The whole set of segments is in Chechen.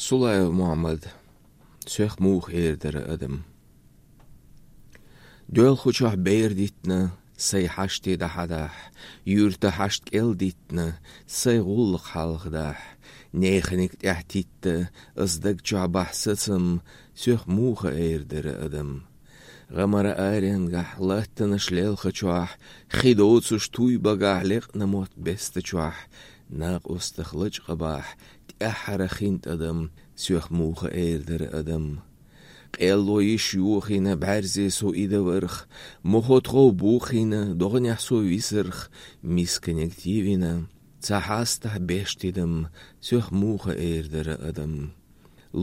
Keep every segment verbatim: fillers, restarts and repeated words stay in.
Сулаев Мухьаммад. Соьх муха эр дара адам. Доьлхучохь бер дитина, сай хьаште дӀахьадахь, юьрта хьашт кӀел дитина, сай гӀуллакх хьалха дахь, неханиг тӀаьхьа титта, ас даг чохь бахь сацам, соьх муха эр дара адам. ГӀамара аренгахь, латтанаш лелхачохь, хи доцуш туй багахь, лекъна мотт бестачохь, накъостах лачкъа бахь, тӀаьххьара хин тӀадам, соьх муха эр дара адам. Къелло йиш йохийна, бӀаьрзе со идаварх, мохо тхов бохийна, догӀанехь со висарх, мисканиг тевина, ца хьастахь беш тидам, соьх муха эр дара адам.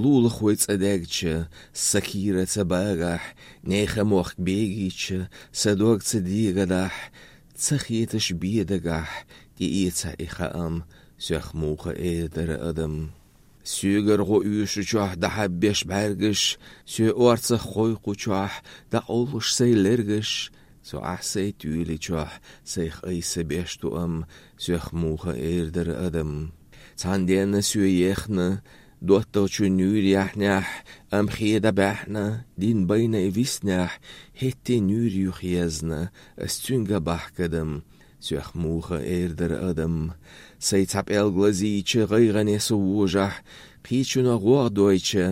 Лулахой цӀа даьгча, сакира ца багахь, нехан мохк бегийча, са дог ца дегадахь, ца хеташ бедагахь, тӀеэца и хаам, соьх муха эр дара адам. Соьгара гӀо оьшучохь дӀахьаббеш бӀаьргаш, соь орцах кхойкхучохь, дӀакъовлуш сай лергаш, со ахь сай туьйличохь, сайх айса беш туам, соьх муха эр дара адам. Цхьана денна соь ехна, доттагӀчу нуьйр яхьнехь, ам хеда баьхьна, дин байна и виснехь, хӀетте нуьйр юха езна, ас цуьнга бахкадам, соьх муха эр дара адам. Сай цхьа пӀелг лазийча, гӀайгӀане со вожахь, кхечуьнан гӀогӀ дойча,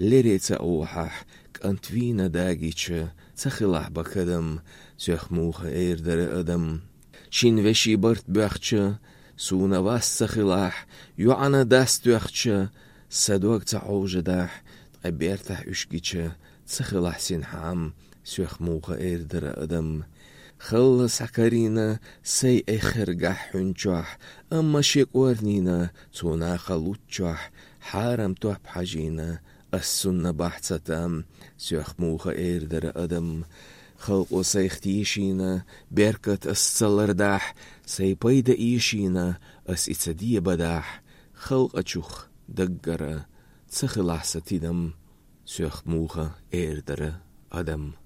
лере ца охьахь, кӀант вийна дагича, ца хилахь бакадам, соьх муха эр дара адам. Шин веший барт боьхча, суна вас ца хилахь, йоӀана дас тоьхча, са дог ца хьовжадахь, ткъа бертахь уьш гича, ца хилахь синхьам, соьх муха эр дара адам. Халла схьакарийна сай эххар гахь хьуьнчохь, амма шен кӀорнийна цо наха луччохь, хьарам топ хьажийна, ас цунна бахь ца там, соьх муха эр дара адам. Халкъо сайх тешийна, беркат ас ца лардахь, сай пайда эшийна, ас и ца дебадахь, халкъачух даггара ца хилахь сан тидам, соьх муха эр дара адам.